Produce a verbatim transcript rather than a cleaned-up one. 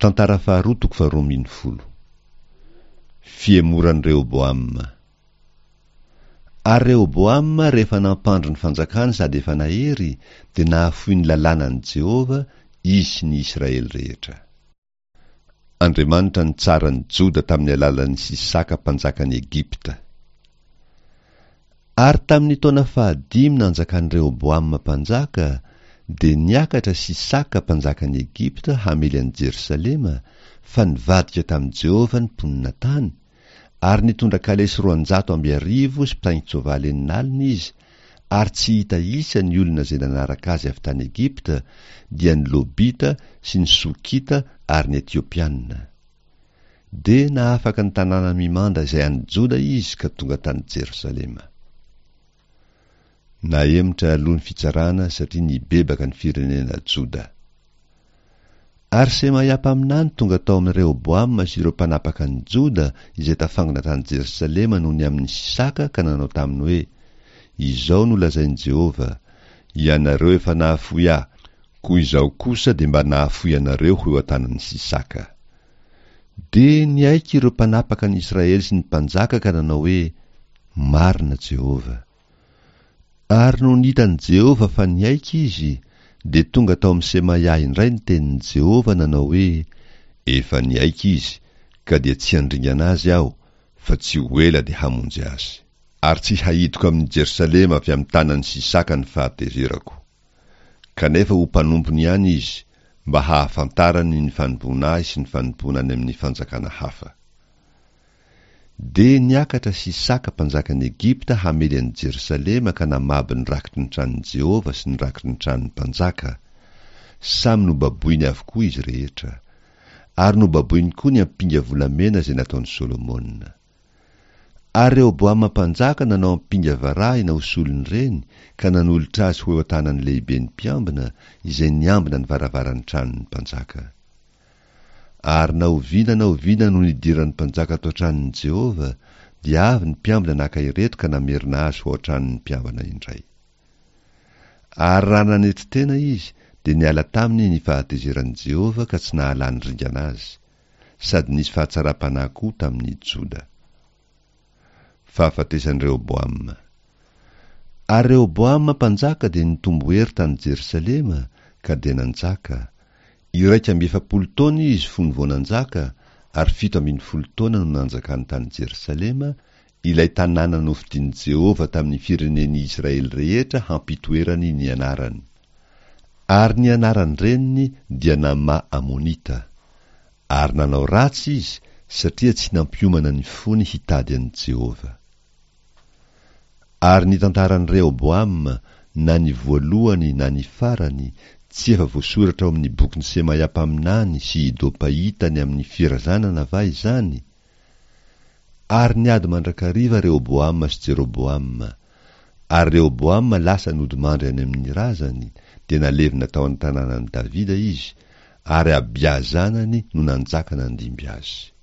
Tantara faharoa toko faharoa ambin'ny folo. Fihemoran'i Rehoboama. Ary Rehoboama rehefa nampandry ny fanjakany sady efa nahery, dia nahafoy ny lalànan'i Jehovah, izy sy ny Israely rehetra. Andriamanitra nitsara ny Joda tamin'ny alalan'i Sisaka mpanjakan'i Egypta. Ary tamin'ny taona fahadimy nanjakan'i Rehoboama mpanjaka, dia niakatra Sisaka mpanjakan'i Egypta hamely an'i Jerosalema, fa nivadika tamin'i Jehovah ny mponina tany, ary nitondra kalesy roanjato amby arivo sy mpitaingin-tsoavaly enina alina izy, ary tsy hita isa ny olona izay nanaraka azy avy tany Egypta, dia ny Lobita sy ny Sokita ary ny Etiopiana. Dia nahafaka ny tanàna mimanda izay any Joda izy ka tonga tany Jerosalema. Nahemotra aloha ny fitsarana satria nibebaka ny firenena Joda. Ary Semaia mpaminany tonga tao amin'i Rehoboama sy ireo mpanapaka an'i Joda izay tafangona tany Jerosalema noho ny amin'i Sisaka ka nanao taminy hoe, Izao no lazain'i Jehovah, Ianareo efa nahafoy ahy, koa izaho kosa dia mba nahafoy anareo ho eo an-tanan'i Sisaka. Dia niaiky ireo mpanapaka an'i Israely sy ny mpanjaka ka nanao hoe, Marina Jehovah. Ary nony hitan'i Jehovah fa niaiky izy, dia tonga tao amin'i Semaia indray ny tenin'i Jehovah nanao hoe, Efa niaiky izy, ka dia tsy handringana azy aho, fa tsy ho ela dia hamonjy azy. Ary tsy haidiko amin'i Jerosalema avy amin'ny tanan'i Sisaka ny fahatezerako. Kanefa ho mpanompony ihany izy, mba hahafantarany ny fanompoana ahy sy ny fanompoana any amin'ny fanjakana hafa. Dia niakatra Sisaka mpanjakan'i Egypta hamely an'i Jerosalema ka namabo ny rakitry ny tranon'i Jehovah sy ny rakitry ny tranon'ny mpanjaka. Samy nobaboiny avokoa izy rehetra. Ary nobaboiny koa ny ampinga volamena izay nataon'i Solomona. Ary Rehoboama mpanjaka nanao ampinga varahina ho solon'ireny ka nanolotra azy ho eo an-tanan'ny lehiben'ny mpiambina izay niambina ny varavaran'ny tranon'ny mpanjaka. Ary na oviana na oviana no nidiran'ny mpanjaka tao an-tranon'i Jehovah, dia avy ny mpiambina naka ireto ka namerina azy ho ao an-tranon'ny mpiambina indray. Ary raha nanetry tena izy, dia niala taminy ny fahatezeran'i Jehovah ka tsy nahalany ringana azy, sady nisy fahatsaram-panahy koa tamin'ny Joda. Fahafatesan'i Rehoboama. Ary Rehoboama mpanjaka dia nitombo hery tany Jerosalema, ka dia nanjaka. Iraika amby efapolo taona izy fony vao nanjaka, ary fito ambin'ny folo taona no nanjakany tany Jerosalema, ilay tanàna nofidin'i Jehovah tamin'ny firenen'i Israely rehetra hampitoerany ny anarany. Ary ny anaran-dreniny dia Namà Amonita. Ary nanao ratsy izy, satria tsy nampiomana ny fony hitady an'i Jehovah. Ary ny tantaran'i Rehoboama, na ny voalohany na ny farany, tsy efa voasoratra ao amin'ny bokin'i Semaia mpaminany sy Ido mpahita ny amin'ny firazanana va izany? Ary niady mandrakariva Rehoboama sy Jeroboama. Ary Rehoboama lasa nodimandry any amin'ny razany, dia nalevina tao an-tanànan'i Davida izy, ary Abia zanany no nanjaka nandimby azy.